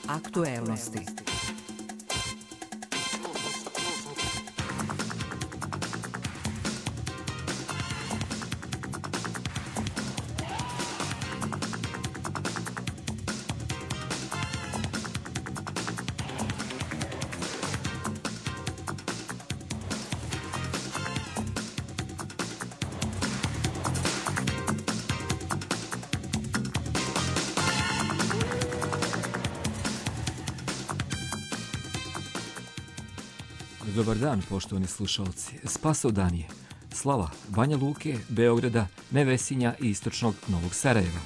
Aktuelnosti. Dobar dan, poštovani slušalci. Spasovdan je slava Banja Luke, Beograda, Nevesinja i istočnog Novog Sarajeva.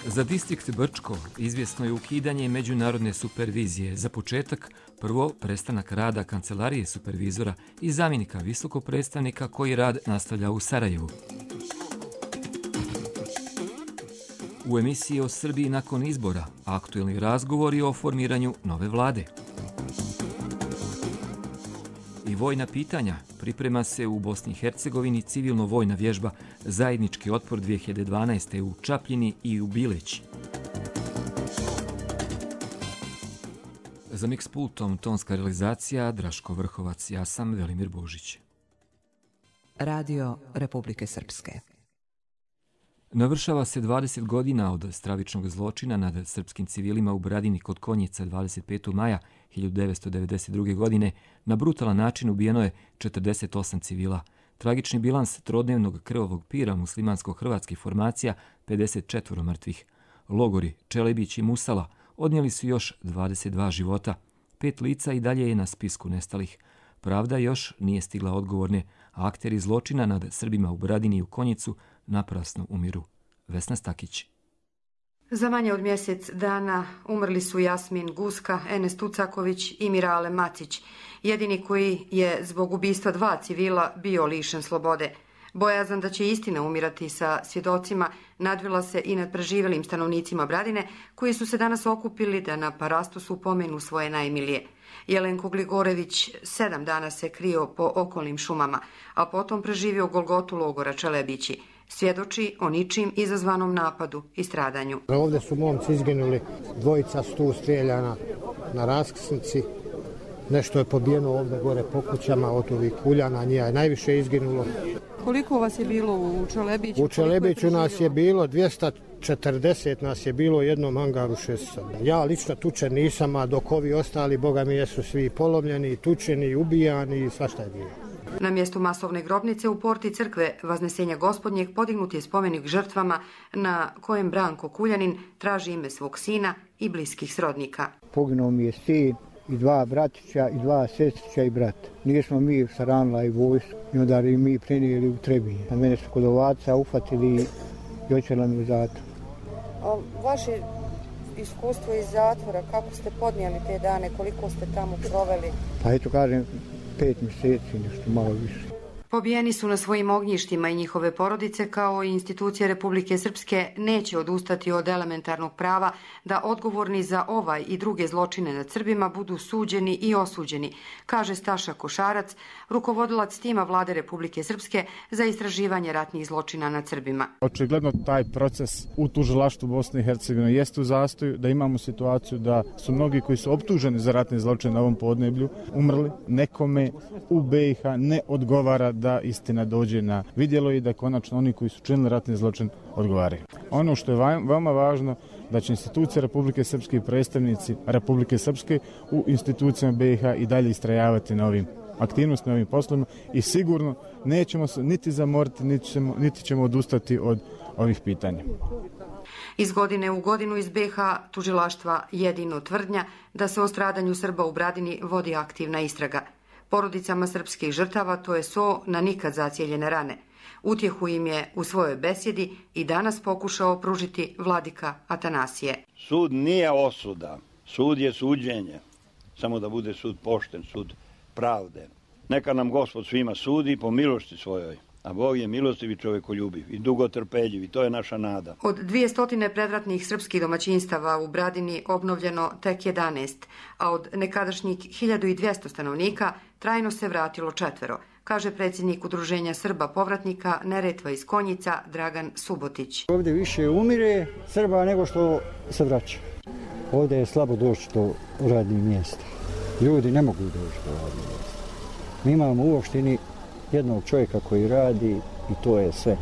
Za distrikt Brčko izvjesno je ukidanje međunarodne supervizije. Za početak, prvo prestanak rada kancelarije supervizora i zamjenika visokog predstavnika koji rad nastavlja u Sarajevu. U emisiji o Srbiji nakon izbora aktuelni razgovori o formiranju nove vlade. I vojna pitanja. Priprema se u Bosni i Hercegovini civilno-vojna vježba Zajednički otpor 2012. u Čapljini i u Bileći. Za Mix pultom tonska realizacija Draško Vrhovac, ja sam Velimir Božić. Radio Republike Srpske. Navršava se 20 godina od stravičnog zločina nad srpskim civilima u Bradini kod Konjica 25. maja 1992. godine. Na brutalan način ubijeno je 48 civila. Tragični bilans trodnevnog krvavog pira muslimansko-hrvatskih formacija 54 mrtvih. Logori Čelebić i Musala odnijeli su još 22 života. 5 lica i dalje je na spisku nestalih. Pravda još nije stigla odgovorne, a akteri zločina nad Srbima u Bradini i u Konjicu naprasno umiru. Vesna Stakić. Za manje od mjesec dana umrli su Jasmin Guska, Enes Tucaković i Mirale Macić, jedini koji je zbog ubistva 2 civila bio lišen slobode. Bojazan da će istina umirati sa svjedocima nadvila se i nad preživjelim stanovnicima Bradine, koji su se danas okupili da na parastosu pomenu svoje najmilije. Jelenko Gligorević 7 dana se krio po okolnim šumama, a potom preživio golgotu logora Čelebići. Svjedoči o ničim izazvanom napadu i stradanju. Ovdje su momci izginuli, 2 su tu strijeljana na raskrsnici. Nešto je pobijeno ovdje gore po kućama od ovih kuljana, njih je najviše izginulo. Koliko vas je bilo u Čelebiću? U Čelebiću nas je bilo 240, nas je bilo u jednom hangaru 6. Ja lično tučen nisam, a dok ovi ostali, boga mi, jesu svi polomljeni, tučeni, ubijani i svašta je bilo. Na mjestu masovne grobnice u porti crkve Vaznesenja Gospodnjeg podignut je spomenik žrtvama na kojem Branko Kuljanin traži ime svog sina i bliskih srodnika. Poginuo mi je sin i 2 bratića i 2 sestrića i brat. Nismo mi saranila i vojsku i onda i mi prenijeli u Trebinje. A mene su kod ovaca uhvatili i očela mi u zatvor. A vaše iskustvo iz zatvora, kako ste podnijeli te dane, koliko ste tamo proveli? Pa eto kažem, 5 mjeseci, nešto malo više. Pobijeni su na svojim ognjištima i njihove porodice, kao i institucije Republike Srpske neće odustati od elementarnog prava da odgovorni za ovaj i druge zločine nad Srbima budu suđeni i osuđeni, kaže Staša Košarac, rukovodilac tima Vlade Republike Srpske za istraživanje ratnih zločina nad Srbima. Očigledno taj proces u tužilaštvu Bosne i Hercegovine jeste u zastoju, da imamo situaciju da su mnogi koji su optuženi za ratne zločine na ovom podneblju umrli. Nekome u BiH ne odgovara da istina dođe na vidjelo i da konačno oni koji su činili ratni zločin odgovaraju. Ono što je veoma važno, da će institucije Republike Srpske i predstavnici Republike Srpske u institucijama BiH i dalje istrajavati na ovim aktivnostima, na ovim poslovima i sigurno nećemo se niti zamoriti, niti ćemo odustati od ovih pitanja. Iz godine u godinu iz BiH tužilaštva jedino tvrdnja da se o stradanju Srba u Bradini vodi aktivna istraga. Porodicama srpskih žrtava to je so na nikad zacijeljene rane. Utjehu im je u svojoj besjedi i danas pokušao pružiti vladika Atanasije. Sud nije osuda, sud je suđenje. Samo da bude sud pošten, sud pravde. Neka nam Gospod svima sudi po milosti svojoj, a Bog je milostiv i čovjekoljubiv i dugotrpeljiv i to je naša nada. Od 200 predratnih srpskih domaćinstava u Bradini obnovljeno tek 11, a od nekadašnjih 1200 stanovnika trajno se vratilo 4, kaže predsjednik Udruženja Srba povratnika Neretva iz Konjica Dragan Subotić. Ovdje više umire Srba nego što se vraća. Ovdje je slabo doći do radnih mjesta. Ljudi ne mogu doći do radnih mjesta. Mi imamo u opštini jednog čovjeka koji radi i to je sve.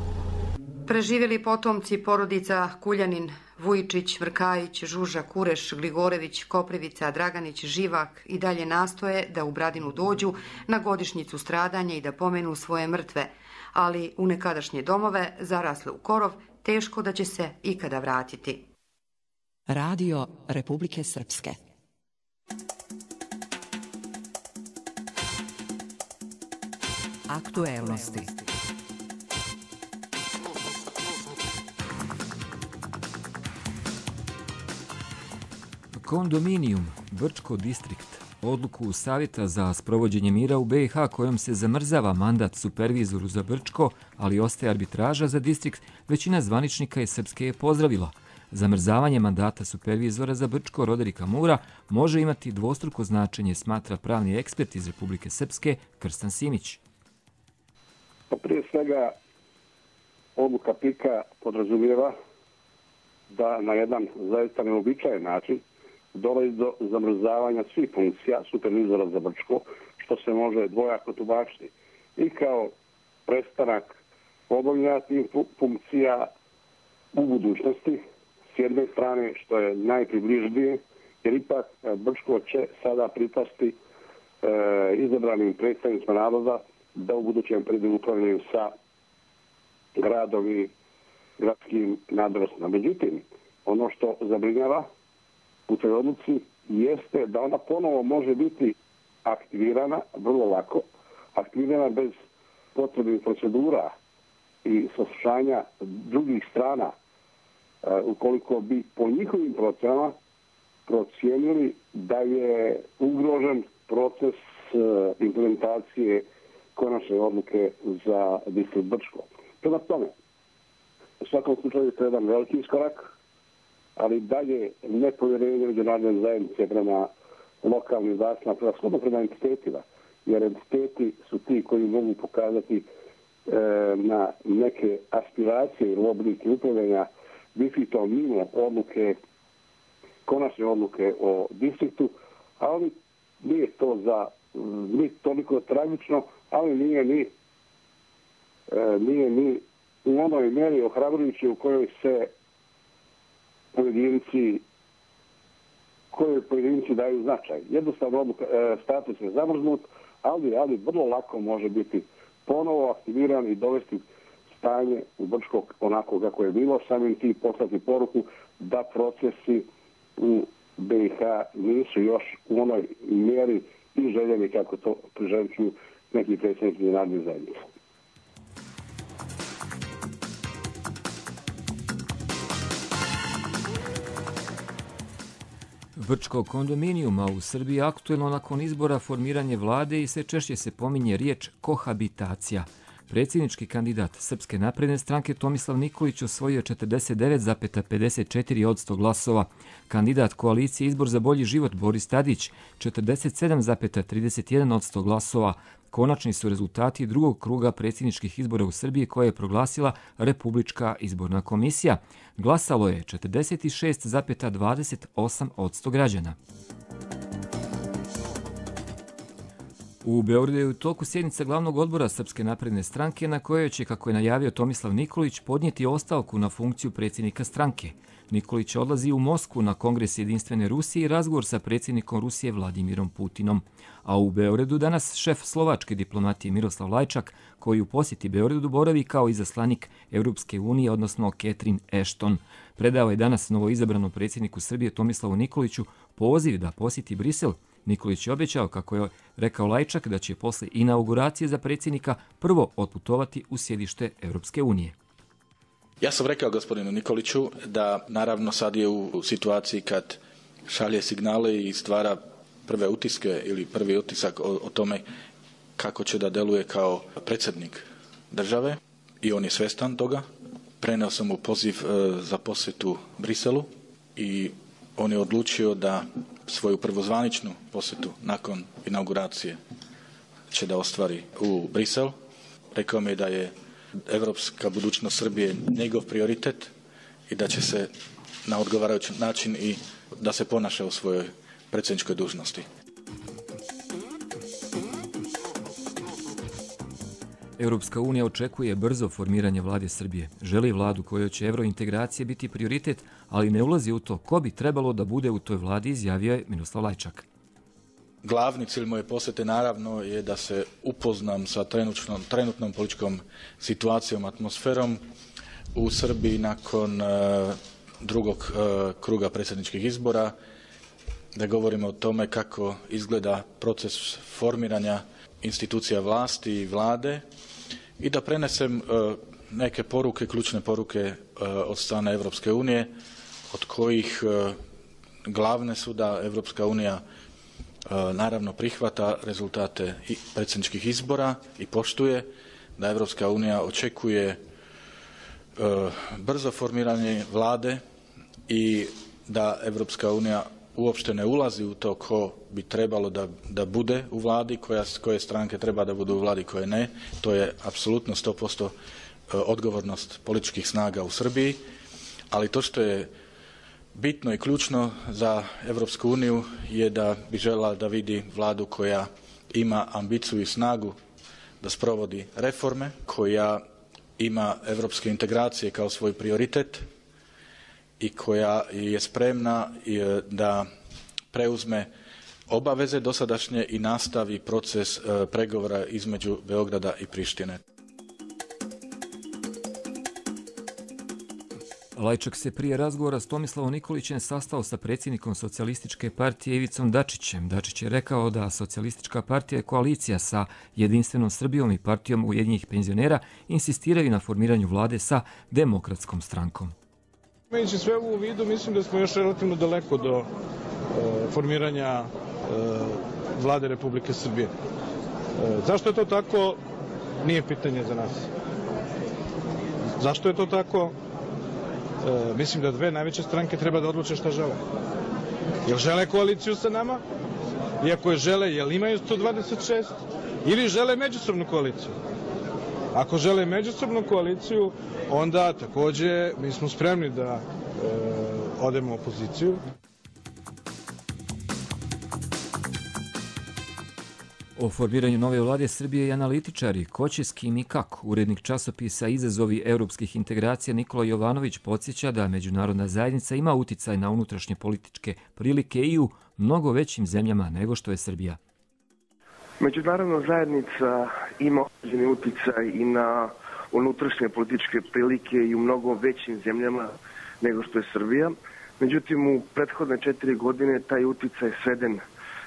Preživjeli potomci porodica Kuljanin, Vujčić, Vrkajić, Žuža, Kureš, Gligorević, Koprivica, Draganić, Živak i dalje nastoje da u Bradinu dođu na godišnjicu stradanja i da pomenu svoje mrtve, ali u nekadašnje domove, zarasle u korov, teško da će se ikada vratiti. Radio Republike Srpske. Aktuelnosti. Kondominijum, Brčko distrikt, odluku Savjeta za sprovođenje mira u BiH kojom se zamrzava mandat supervizoru za Brčko, ali ostaje arbitraža za distrikt, većina zvaničnika iz Srpske je pozdravila. Zamrzavanje mandata supervizora za Brčko Roderika Mura može imati dvostruko značenje, smatra pravni ekspert iz Republike Srpske Krstan Simić. Prije svega, odluka PIK-a podrazumijeva da na jedan zaista neobičajen način dolazi do zamrzavanja svih funkcija supervizora za Brčko, što se može dvojako tumačiti. I kao prestanak obavljanja tih funkcija u budućnosti, s jedne strane što je najpribližnije, jer ipak Brčko će sada pripasti izabranim predstavnicima naroda da u budućem pređu upravljaju sa gradom i gradskim nadležnostima. Međutim, ono što zabrinjava u toj odluci jeste da ona ponovo može biti aktivirana vrlo lako, aktivirana bez potrebnih procedura i saslušanja drugih strana, ukoliko bi po njihovim procenama procijenili da je ugrožen proces implementacije konačne odluke za distrikt Brčko. Prema tome, u svakom slučaju to je jedan veliki iskorak, ali dalje nepovjerenje međunarodne zajednice prema lokalnim vlastima, prema entitetima, jer entiteti su ti koji mogu pokazati na neke aspiracije ili oblike upravljanja distriktom mimo odluke, konačne odluke o distriktu, ali nije to nije toliko tragično, ali nije ni u onoj mjeri ohrabrujući u kojoj se pojedinci daju značaj. Jednostavno status je zamrznut, ali vrlo lako može biti ponovo aktiviran i dovesti stanje u Brčko onako kako je bilo, samim tim poslati poruku da procesi u BiH nisu još u onoj mjeri i željeni kako to priželjkuju neki predsjednici međunarodne zajednice. Brčko kondominijuma u Srbiji aktuelno nakon izbora formiranje vlade i sve češće se pominje riječ kohabitacija. Predsjednički kandidat Srpske napredne stranke Tomislav Nikolić osvojio 49,54% glasova. Kandidat koalicije Izbor za bolji život Boris Tadić 47,31% glasova. Konačni su rezultati drugog kruga predsjedničkih izbora u Srbiji koje je proglasila Republička izborna komisija. Glasalo je 46,28% građana. U Beogradu je u toku sjednica glavnog odbora Srpske napredne stranke na kojoj će, kako je najavio Tomislav Nikolić, podnijeti ostavku na funkciju predsjednika stranke. Nikolić odlazi u Moskvu na Kongres Jedinstvene Rusije i razgovor sa predsjednikom Rusije Vladimirom Putinom. A u Beogradu danas šef slovačke diplomatije Miroslav Lajčak, koji u posjeti Beogradu boravi kao izaslanik Europske unije, odnosno Catherine Ashton. Predao je danas novoizabranom predsjedniku Srbije Tomislavu Nikoliću poziv da posjeti Brisel. Nikolić je obećao, kako je rekao Lajčak, da će posle inauguracije za predsjednika prvo otputovati u sjedište Europske unije. Ja sam rekao gospodinu Nikoliću da naravno sad je u situaciji kad šalje signale i stvara prve utiske ili prvi utisak o tome kako će da deluje kao predsjednik države i on je svjestan toga. Preneo sam mu poziv za posjetu Briselu i on je odlučio da svoju prvozvaničnu posjetu nakon inauguracije će da ostvari u Brisel. Rekao mi je da je evropska budućnost Srbije njegov prioritet i da će se na odgovarajući način i da se ponaša u svojoj predsjedničkoj dužnosti. Europska unija očekuje brzo formiranje vlade Srbije. Želi vladu kojoj će evrointegracije biti prioritet, ali ne ulazi u to ko bi trebalo da bude u toj vladi, izjavio je Miroslav Lajčak. Glavni cilj moje posjete naravno je da se upoznam sa trenutnom političkom situacijom, atmosferom u Srbiji nakon drugog kruga predsjedničkih izbora, da govorimo o tome kako izgleda proces formiranja institucija vlasti i vlade i da prenesem neke poruke, ključne poruke od strane Europske unije, od kojih glavne su da Europska unija naravno prihvata rezultate predsjedničkih izbora i poštuje, da Europska unija očekuje brzo formiranje vlade i da Europska unija uopšte ne ulazi u to ko bi trebalo da bude u vladi, koje stranke treba da budu u vladi, koje ne. To je apsolutno 100% odgovornost političkih snaga u Srbiji, ali to što je bitno i ključno za Europsku uniju je da bi željela da vidi vladu koja ima ambiciju i snagu da sprovodi reforme, koja ima evropske integracije kao svoj prioritet i koja je spremna da preuzme obaveze dosadašnje i nastavi proces pregovora između Beograda i Prištine. Lajčak se prije razgovora s Tomislavom Nikolićem sastao sa predsjednikom Socijalističke partije Ivicom Dačićem. Dačić je rekao da Socijalistička partija je koalicija sa Jedinstvenom Srbijom i partijom Ujedinjenih penzionera insistiraju na formiranju vlade sa Demokratskom strankom. Imajući sve ovo u vidu, mislim da smo još relativno daleko do formiranja vlade Republike Srbije. Zašto je to tako? Nije pitanje za nas. Zašto je to tako? Mislim da dve najveće stranke treba da odluče šta žele. Jel žele koaliciju sa nama? Iako je žele, jel imaju 126? Ili žele međusobnu koaliciju? Ako žele međusobnu koaliciju, onda takođe mi smo spremni da odemo u opoziciju. O formiranju nove vlade Srbije i analitičari ko će s kim i kako. Urednik časopisa Izazovi europskih integracija Nikola Jovanović podsjeća da međunarodna zajednica ima uticaj na unutrašnje političke prilike i u mnogo većim zemljama nego što je Srbija. Međunarodna zajednica ima određeni uticaj i na unutrašnje političke prilike i u mnogo većim zemljama nego što je Srbija. Međutim, u prethodne 4 godine taj uticaj sveden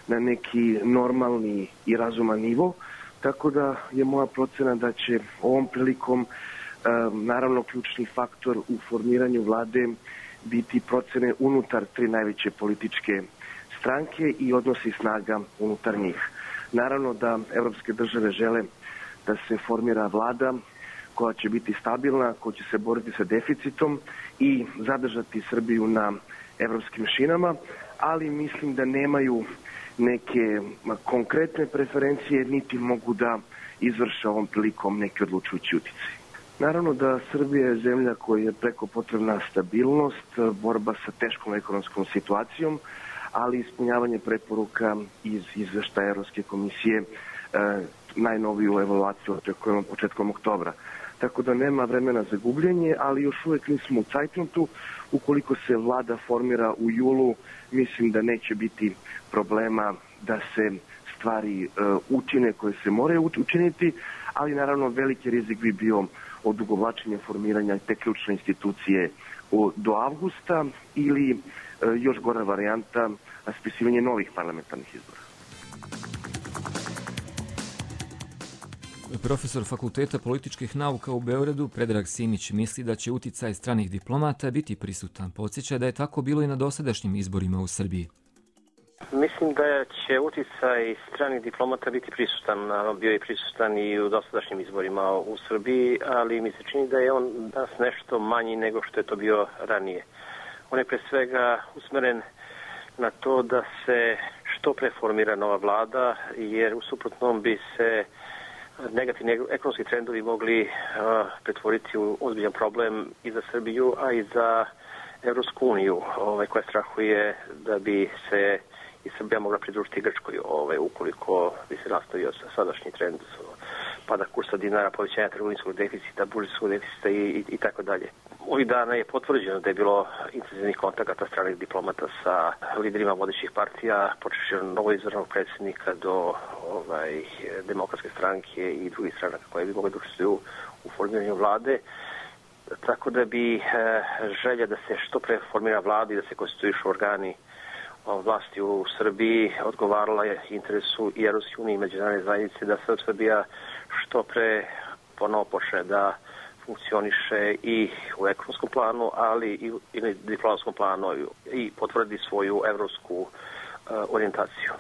na neki normalni i razuman nivo, tako da je moja procena da će ovom prilikom naravno ključni faktor u formiranju vlade biti procene unutar 3 najveće političke stranke i odnosi snaga unutar njih. Naravno da evropske države žele da se formira vlada koja će biti stabilna, koja će se boriti sa deficitom i zadržati Srbiju na evropskim šinama, ali mislim da nemaju neke konkretne preferencije, niti mogu da izvrše ovom prilikom neki odlučujući uticaj. Naravno da Srbija je zemlja koja je preko potrebna stabilnost, borba sa teškom ekonomskom situacijom, ali ispunjavanje preporuka iz izveštaja Evropske komisije, najnoviju evaluaciju očekujemo početkom oktobra. Tako da nema vremena za gubljenje, ali još uvek nismo u cajtnotu. Ukoliko se vlada formira u julu, mislim da neće biti problema da se stvari učine koje se moraju učiniti, ali naravno veliki rizik bi bio odugovlačenje formiranja te ključne institucije do avgusta ili još gora varijanta raspisivanje novih parlamentarnih izbora. Profesor Fakulteta političkih nauka u Beogradu Predrag Simić misli da će uticaj stranih diplomata biti prisutan. Podsjeća da je tako bilo i na dosadašnjim izborima u Srbiji. Mislim da će uticaj stranih diplomata biti prisutan, bio je prisutan i u dosadašnjim izborima u Srbiji, ali mi se čini da je on danas nešto manji nego što je to bio ranije. On je pre svega usmeren na to da se što pre formira nova vlada, jer u suprotnom bi se negativni ekonomski trendovi mogli pretvoriti u ozbiljan problem i za Srbiju, a i za Evropsku uniju, koja strahuje da bi se i Srbija mogla pridružiti Grčkoj, ukoliko bi se nastavio sadašnji trend pada kursa dinara, povećanja trgovinskog deficita, budžetskog deficita i tako dalje. Ovih dana je potvrđeno da je bilo intenzivnih kontakata stranih diplomata sa liderima vodećih partija, počevši od novoizabranog predsjednika do Demokratske stranke i drugih stranaka koje bi mogli da učestvuju u formiranju vlade. Tako da bi želja da se što pre formira vlada i da se konstituišu organi vlasti u Srbiji odgovarala je interesu i Evropske unije i međunarodne zajednice da se Srbija što pre ponovo počne da funkcioniše i u ekonomskom planu, ali i u diplomatskom planu i potvrdi svoju evropsku orijentaciju.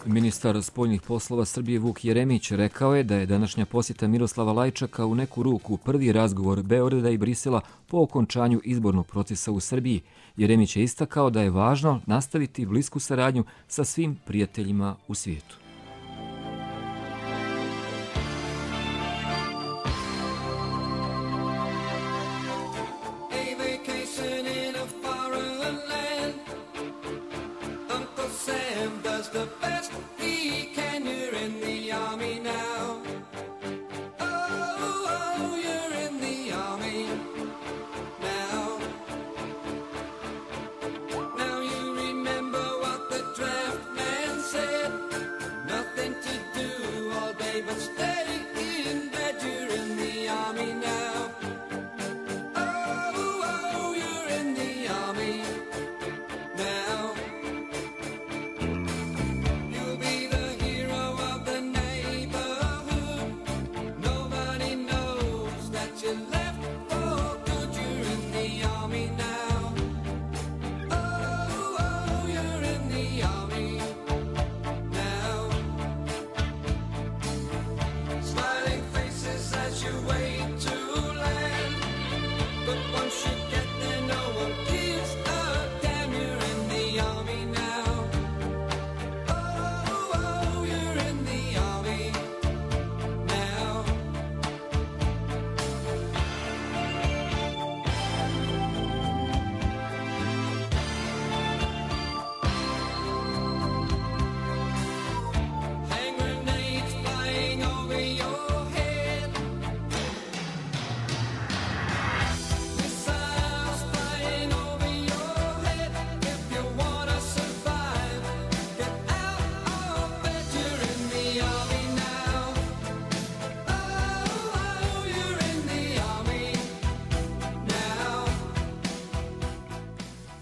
Ministar spoljnih poslova Srbije Vuk Jeremić rekao je da je današnja posjeta Miroslava Lajčaka u neku ruku prvi razgovor Beograda i Brisela po okončanju izbornog procesa u Srbiji. Jeremić je istakao da je važno nastaviti blisku saradnju sa svim prijateljima u svijetu.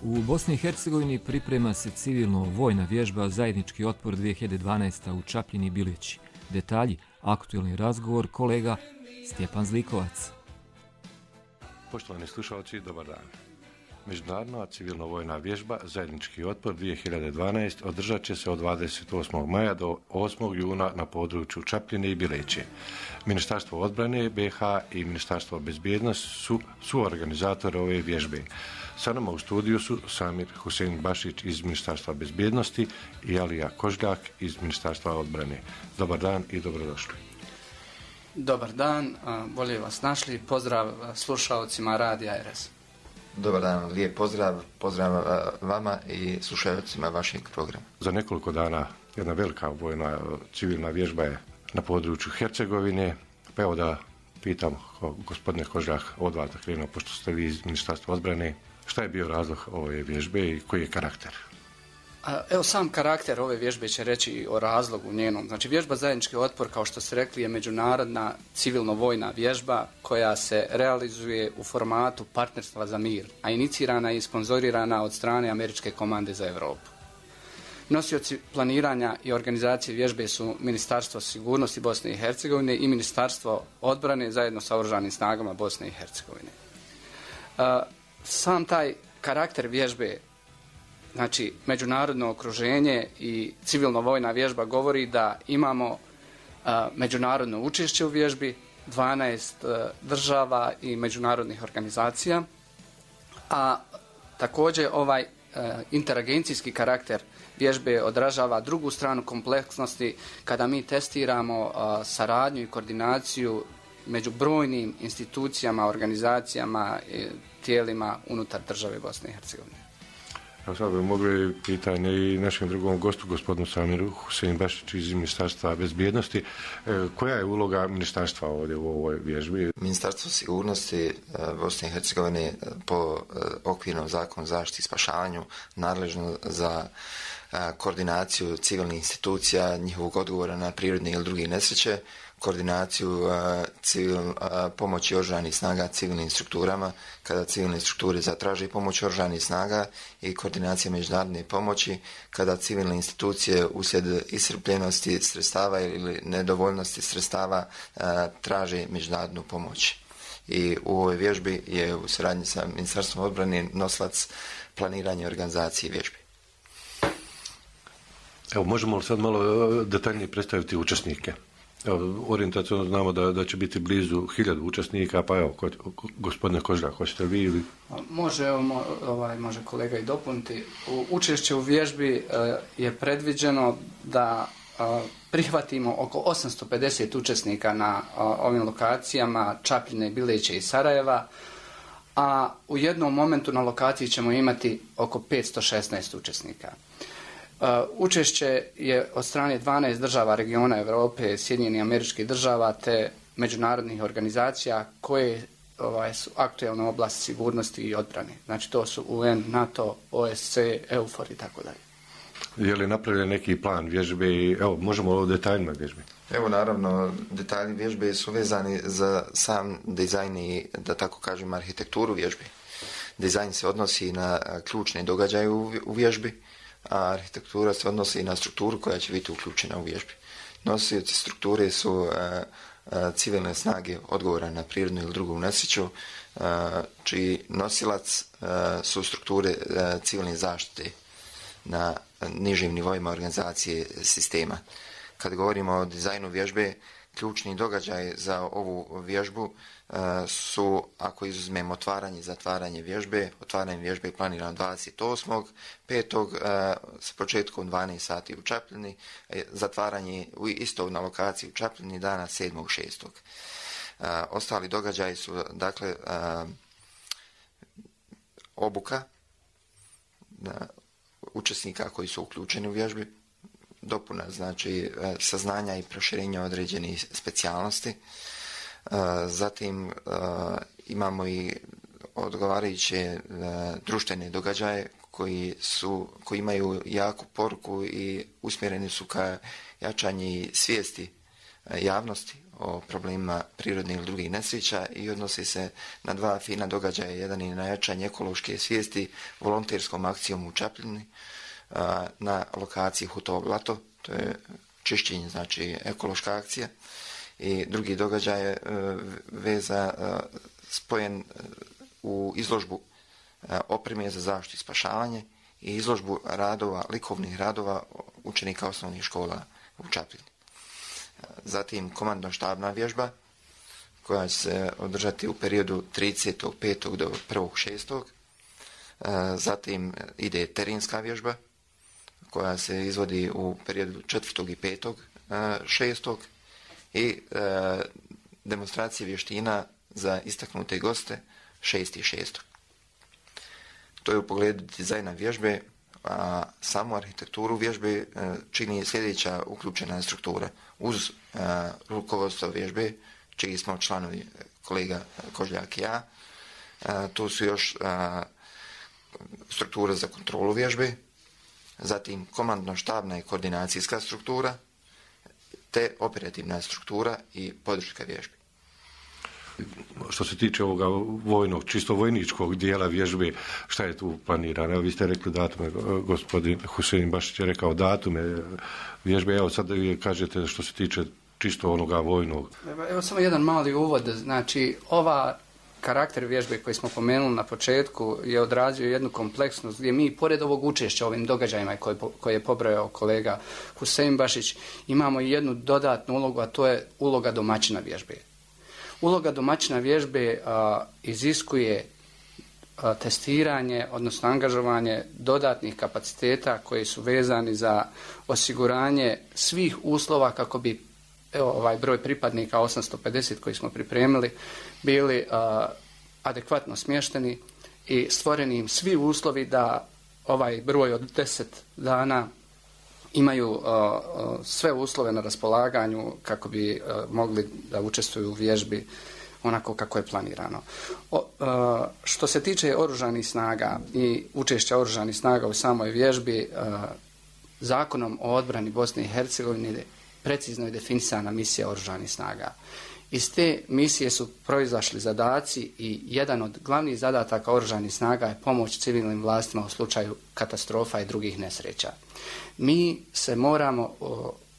U Bosni i Hercegovini priprema se civilno-vojna vježba Zajednički otpor 2012. u Čapljini i Bileći. Detalji, aktualni razgovor kolega Stjepan Zlikovac. Poštovani slušalci, dobar dan. Međunarodna civilno-vojna vježba Zajednički otpor 2012 održat će se od 28. maja do 8. juna na području Čapljine i Bileće. Ministarstvo odbrane BiH i Ministarstvo bezbjednosti su organizatori ove vježbe. Sa nama u studiju su Samir Husein Bašić iz Ministarstva bezbjednosti i Alija Kožljak iz Ministarstva odbrane. Dobar dan i dobrodošli. Dobar dan, bolje vas našli. Pozdrav slušalcima Radija RS. Dobar dan, lijep pozdrav. Pozdrav vama i slušalcima vašeg programa. Za nekoliko dana jedna velika vojna civilna vježba je na području Hercegovine. Pa evo da pitam gospodine Kožljak od vas da krenuo, pošto ste vi iz Ministarstva odbrane. Šta je bio razlog ove vježbe i koji je karakter? Evo, sam karakter ove vježbe će reći o razlogu njenom. Znači, vježba Zajednički otpor, kao što ste rekli, je međunarodna civilno-vojna vježba koja se realizuje u formatu partnerstva za mir, a inicirana i sponzorirana od strane Američke komande za Europu. Nosioci planiranja i organizacije vježbe su Ministarstvo sigurnosti Bosne i Hercegovine i Ministarstvo odbrane zajedno sa Oružanim snagama Bosne i Hercegovine. Sam taj karakter vježbe, znači međunarodno okruženje i civilno-vojna vježba govori da imamo međunarodno učešće u vježbi, 12 država i međunarodnih organizacija. A također ovaj interagencijski karakter vježbe odražava drugu stranu kompleksnosti kada mi testiramo saradnju i koordinaciju među brojnim institucijama, organizacijama, tijelima unutar države Bosne i Hercegovine. Evo sad bi mogli pitanje i našem drugom gostu, gospodinu Samiru Husein Bašić iz Ministarstva bezbjednosti. Koja je uloga ministarstva ovdje u ovoj vježbi? Ministarstvo sigurnosti Bosne i Hercegovine po okvirnom zakonu zaštiti i spašavanju nadležno za koordinaciju civilnih institucija, njihovog odgovora na prirodne ili druge nesreće, koordinaciju pomoći oružanih snaga civilnim strukturama kada civilne strukture zatraže pomoć oružanih snaga i koordinacija međunarodne pomoći kada civilne institucije uslijed iscrpljenosti sredstava ili nedovoljnosti sredstava traže međunarodnu pomoć. I u ovoj vježbi je u suradnji sa Ministarstvom odbrane nosilac planiranja i organizacije vježbi. Evo, možemo li sad malo detaljnije predstaviti učesnike? Evo, orijentacijno znamo da će biti blizu 1000 učesnika, pa evo, gospodine Kožljak, hoćete vi ili? Može kolega i dopuniti. Učešće u vježbi je predviđeno da prihvatimo oko 850 učesnika na ovim lokacijama Čapljine, Bileće i Sarajeva, a u jednom momentu na lokaciji ćemo imati oko 516 učesnika. Učešće je od strane 12 država regiona Europe, Sjedinjenih Američkih Država te međunarodnih organizacija koje su aktuelne oblasti sigurnosti i odbrane. Znači to su UN, NATO, OSCE, EUFOR i tako dalje. Je li napravljen neki plan vježbe i evo, možemo o detaljima vježbe? Evo, naravno, detalji vježbe su vezani za sam dizajn i, da tako kažem, arhitekturu vježbe. Dizajn se odnosi na ključne događaje u vježbi, a arhitektura se odnosi na strukturu koja će biti uključena u vježbi. Nosioci strukture su civilne snage odgovora na prirodnu ili drugu nesreću, čiji nosilac su strukture civilne zaštite na nižim nivoima organizacije sistema. Kad govorimo o dizajnu vježbe, ključni događaj za ovu vježbu su, ako izuzmemo otvaranje i zatvaranje vježbe, otvaranje vježbe je planirano 28.5. s početkom 12 sati u Čapljini, zatvaranje isto na lokaciji u Čapljini dana 7.6. Ostali događaji su, dakle, obuka učesnika koji su uključeni u vježbi, dopuna, znači saznanja i proširenja određenih specijalnosti. Zatim imamo i odgovarajuće društvene događaje koji imaju jaku poruku i usmjereni su ka jačanju svijesti javnosti o problemima prirodnih ili drugih nesreća i odnosi se na dva fina događaja. Jedan je na jačanje ekološke svijesti volonterskom akcijom u Čapljini na lokaciji Hutovo blato, to je čišćenje, znači ekološka akcija, i drugi događaj je spojen u izložbu opreme za zaštitu i spašavanje i izložbu likovnih radova učenika osnovnih škola u Čapljini. Zatim komandno-štabna vježba koja će se održati u periodu 30.5. do 1.6. Zatim ide terenska vježba koja se izvodi u periodu 4. i 5.6. i demonstracije vještina za istaknute goste 6.6. To je u pogledu dizajna vježbe, a samu arhitekturu vježbe čini sljedeća uključena struktura. Uz rukovodstvo vježbe, čiji smo članovi kolega Kožljak i ja, tu su još struktura za kontrolu vježbe, zatim komandno-štabna i koordinacijska struktura, te operativna struktura i podrška vježbi. Što se tiče ovoga vojnog, čisto vojničkog dijela vježbe, šta je tu planirano? Vi ste rekli datume, gospodin Husein Bašić je rekao datume vježbe, evo sad kažete što se tiče čisto onoga vojnog. Evo samo jedan mali uvod, znači ova karakter vježbe koji smo pomenuli na početku je odrazio jednu kompleksnost gdje mi, pored ovog učešća ovim događajima koje je pobrojao kolega Husein Bašić, imamo i jednu dodatnu ulogu, a to je uloga domaćina vježbe. Uloga domaćina vježbe iziskuje testiranje, odnosno angažovanje dodatnih kapaciteta koji su vezani za osiguranje svih uslova kako bi ovaj broj pripadnika 850 koji smo pripremili bili adekvatno smješteni i stvoreni im svi uslovi da ovaj broj od 10 dana imaju sve uslove na raspolaganju kako bi mogli da učestvuju u vježbi onako kako je planirano. Što se tiče oružanih snaga i učešća oružanih snaga u samoj vježbi, Zakonom o odbrani Bosne i Hercegovine precizno je definisana misija oružanih snaga. Iz te misije su proizašli zadaci i jedan od glavnih zadataka oružanih snaga je pomoć civilnim vlastima u slučaju katastrofa i drugih nesreća. Mi se moramo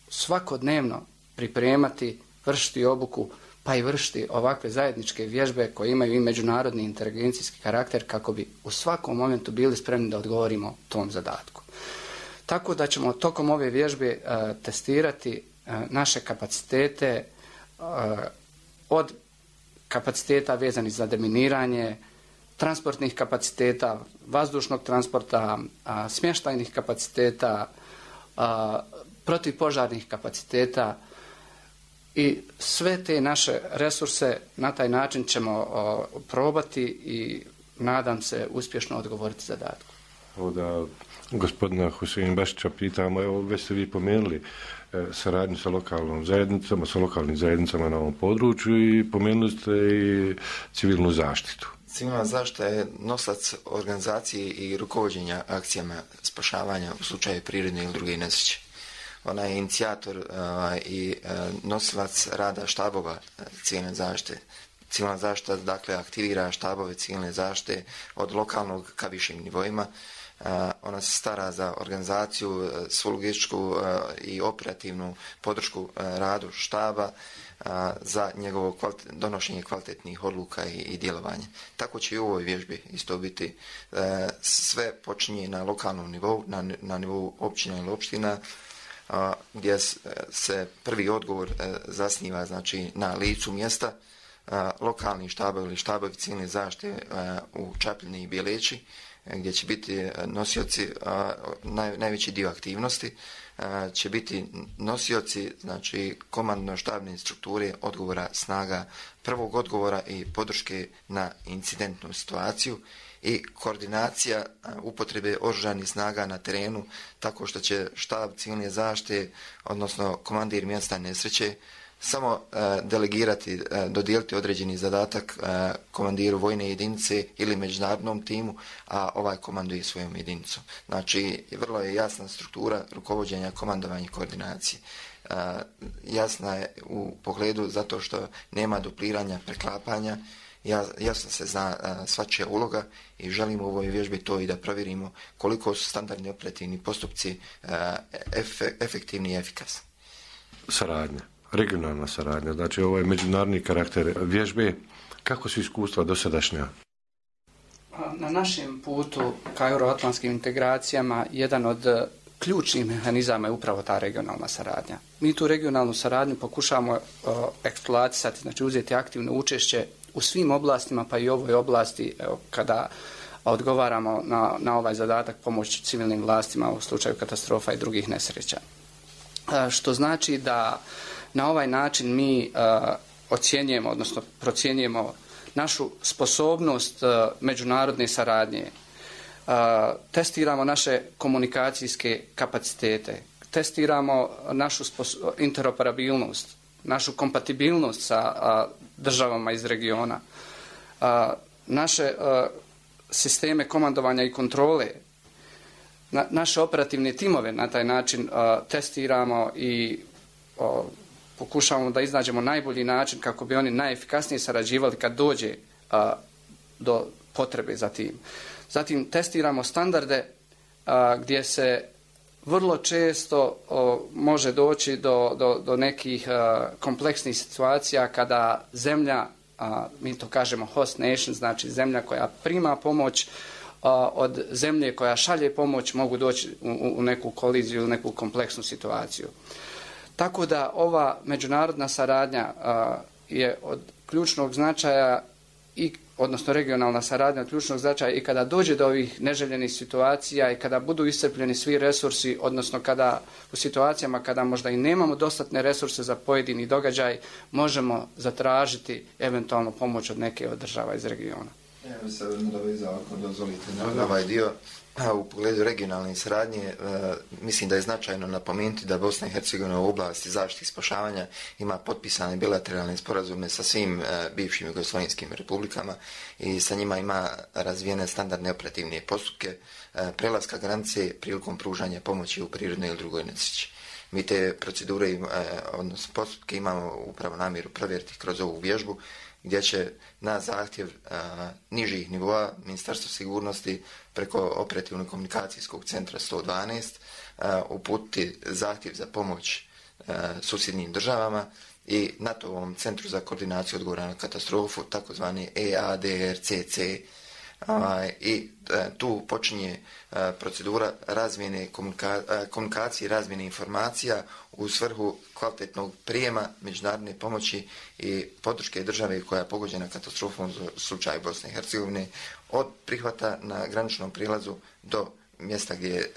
svakodnevno pripremati, vršiti obuku, pa i vršiti ovakve zajedničke vježbe koje imaju i međunarodni inteligencijski karakter kako bi u svakom momentu bili spremni da odgovorimo tom zadatku. Tako da ćemo tokom ove vježbe testirati naše kapacitete od kapaciteta vezanih za deminiranje, transportnih kapaciteta, vazdušnog transporta, smještajnih kapaciteta, protivpožarnih kapaciteta i sve te naše resurse na taj način ćemo probati i nadam se uspješno odgovoriti zadatku. Da gospodina Husein Bašića pitamo, evo već ste vi pomenuli saradnju sa lokalnom zajednicama, sa lokalnim zajednicama na ovom području i pomenuli ste i civilnu zaštitu. Civilna zaštita je nosac organizacije i rukovođenja akcijama spašavanja u slučaju prirodne ili druge nesreće. Ona je inicijator i nosilac rada štabova civilne zaštite. Civilna zaštita dakle aktivira štabove civilne zaštite od lokalnog ka višim nivoima. Ona se stara za organizaciju, svu logističku i operativnu podršku radu štaba, za njegovo donošenje kvalitetnih odluka i djelovanja. Tako će i u ovoj vježbi isto biti. Sve počinje na lokalnom nivou, na nivou općina ili opština, gdje se prvi odgovor zasniva znači na licu mjesta, lokalni štabovi ili štabovi civilne zaštite u Čapljini i Bjeleći, gdje će biti nosioci, najveći dio aktivnosti će biti nosioci znači komandno-štabne strukture odgovora snaga, prvog odgovora i podrške na incidentnu situaciju i koordinacija upotrebe oružanih snaga na terenu tako što će štab civilne zaštite, odnosno komandir mjesta nesreće, samo delegirati, dodijeliti određeni zadatak komandiru vojne jedinice ili međunarodnom timu, a ovaj komanduje svojom jedinicom. Znači, vrlo je jasna struktura rukovođenja, komandovanja i koordinacije. Jasna je u pogledu zato što nema dupliranja, preklapanja, jasno se zna svačija uloga i želimo u ovoj vježbi to i da provjerimo koliko su standardni operativni postupci efektivni i efikasni. Saradnja. Regionalna saradnja, znači ovo je međunarodni karakter vježbe. Kako su iskustva dosadašnja? Na našem putu ka euroatlantskim integracijama jedan od ključnih mehanizama je upravo ta regionalna saradnja. Mi tu regionalnu saradnju pokušavamo eksploatisati, znači uzeti aktivno učešće u svim oblastima, pa i ovoj oblasti kada odgovaramo na ovaj zadatak pomoći civilnim vlastima u slučaju katastrofa i drugih nesreća. Što znači da na ovaj način mi ocjenjujemo, odnosno procjenjujemo našu sposobnost međunarodne saradnje, testiramo naše komunikacijske kapacitete, testiramo našu interoperabilnost, našu kompatibilnost sa državama iz regiona, naše sisteme komandovanja i kontrole, naše operativne timove na taj način testiramo i pokušavamo da iznađemo najbolji način kako bi oni najefikasnije sarađivali kad dođe do potrebe za tim. Zatim testiramo standarde gdje se vrlo često može doći do nekih kompleksnih situacija kada zemlja, mi to kažemo host nation, znači zemlja koja prima pomoć od zemlje koja šalje pomoć mogu doći u neku koliziju, u neku kompleksnu situaciju. Tako da ova međunarodna saradnja je od ključnog značaja odnosno regionalna saradnja od ključnog značaja i kada dođe do ovih neželjenih situacija i kada budu iscrpljeni svi resursi, odnosno kada u situacijama kada možda i nemamo dostatne resurse za pojedini događaj, možemo zatražiti eventualno pomoć od neke od država iz regiona. Ja bih se nadovezao, ako dozvolite, na ovaj dio. U pogledu regionalne saradnje mislim da je značajno napomenuti da Bosna i Hercegovina u oblasti zaštite i spašavanja ima potpisane bilateralne sporazume sa svim bivšim jugoslavenskim republikama i sa njima ima razvijene standardne operativne postupke prelaska granice prilikom pružanja pomoći u prirodnoj ili drugoj nesreći. Mi te procedure, odnosno postupke, imamo upravo namjeru provjeriti kroz ovu vježbu, gdje će na zahtjev nižih nivoa Ministarstva sigurnosti preko operativnog komunikacijskog centra 112 uputiti zahtjev za pomoć susjednim državama i NATO-ovom centru za koordinaciju odgovora na katastrofu, takozvani EADRCC, i tu počinje procedura razmjene komunikacije, razmjene informacija u svrhu kvalitetnog prijema međunarodne pomoći i podrške države koja je pogođena katastrofom u slučaju Bosne i Hercegovine od prihvata na graničnom prilazu do mjesta gdje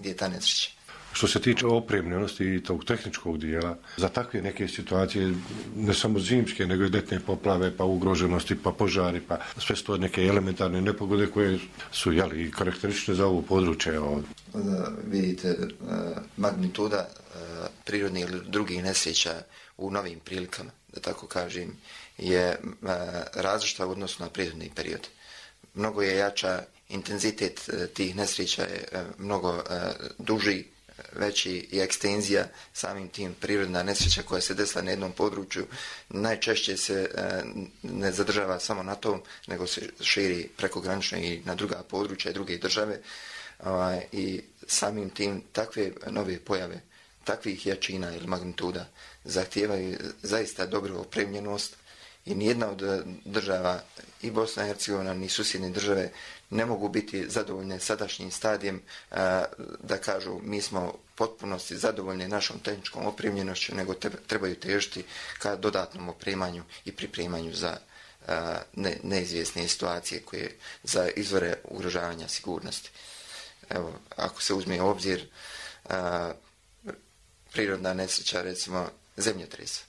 je ta nesreća. Što se tiče opremljenosti i tog tehničkog dijela, za takve neke situacije, ne samo zimske, nego i ljetne poplave, pa ugroženosti, pa požari, pa sve sto neke elementarne nepogode koje su i karakteristične za ovo područje. Vidite, magnituda prirodnih ili drugih nesreća u novim prilikama, da tako kažem, je različita u odnosu na prirodni period. Mnogo je jača, intenzitet tih nesreća je mnogo duži, veći i ekstenzija, samim tim prirodna nesreća koja se desila na jednom području najčešće se ne zadržava samo na tom, nego se širi prekogranično i na druga područja i druge države, i samim tim takve nove pojave, takvih jačina ili magnituda zahtijevaju zaista dobru opremljenost i nijedna od država, i Bosna i Hercegovina, ni susjedne države, ne mogu biti zadovoljne sadašnjim stadijem da kažu mi smo potpunosti zadovoljni našom tehničkom opremljenošću, nego trebaju težiti ka dodatnom opremanju i pripremanju za neizvjesne situacije koje za izvore ugrožavanja sigurnosti. Evo, ako se uzme u obzir prirodna nesreća, recimo zemljotresa.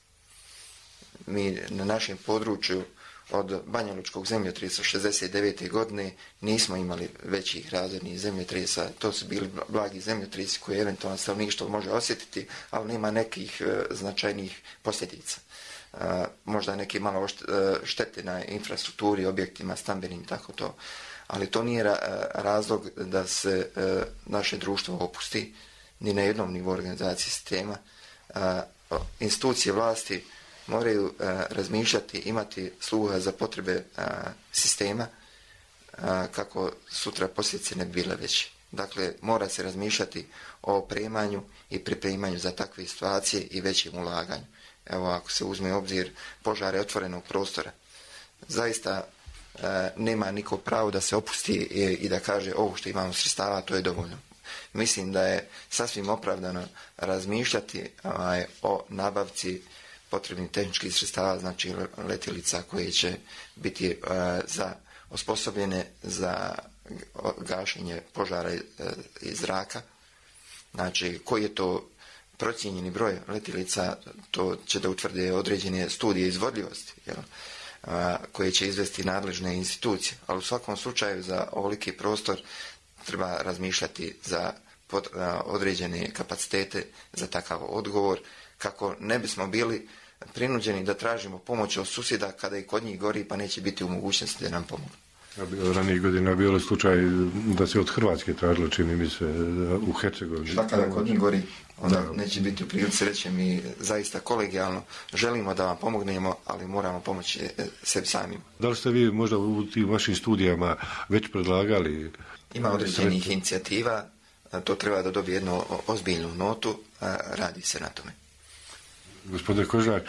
Mi na našem području od banjalučkog zemljotresa 69. godine nismo imali većih razornih zemljotresa. To su bili blagi zemljotresi koje eventualno stanovništvo može osjetiti, ali nema nekih značajnih posljedica. Možda neke malo štete na infrastrukturi, objektima, stambenim, tako to. Ali to nije razlog da se naše društvo opusti ni na jednom nivou organizacije sistema. Institucije vlasti moraju razmišljati, imati sluha za potrebe sistema kako sutra posljedice ne bi bile veće. Dakle, mora se razmišljati o opremanju i pripremanju za takve situacije i većem ulaganju. Evo, ako se uzme u obzir požare otvorenog prostora, zaista nema niko pravo da se opusti i da kaže ovo što imamo sredstava, to je dovoljno. Mislim da je sasvim opravdano razmišljati o nabavci potrebnih tehničkih sredstava, znači letjelica koje će biti osposobljene za gašenje požara iz zraka. Znači, koji je to procijenjeni broj letjelica, to će da utvrde određene studije izvodljivosti, koje će izvesti nadležne institucije. Ali u svakom slučaju za ovoliki prostor treba razmišljati za određene kapacitete za takav odgovor, kako ne bismo bili prinuđeni da tražimo pomoć od susjeda kada i kod njih gori, pa neće biti u mogućnosti da nam pomogu. Ranijih godina bio je slučaj da se od Hrvatske tražilo, čini mi se, u Hercegovini. Šta kada kod njih gori, onda neće biti u prilici reći, mi zaista kolegijalno želimo da vam pomognemo, ali moramo pomoći sebi samim. Da li ste vi možda u tim vašim studijama već predlagali? Ima određenih inicijativa, to treba da dobije jednu ozbiljnu notu, radi se na tome. Gospodine Kožar,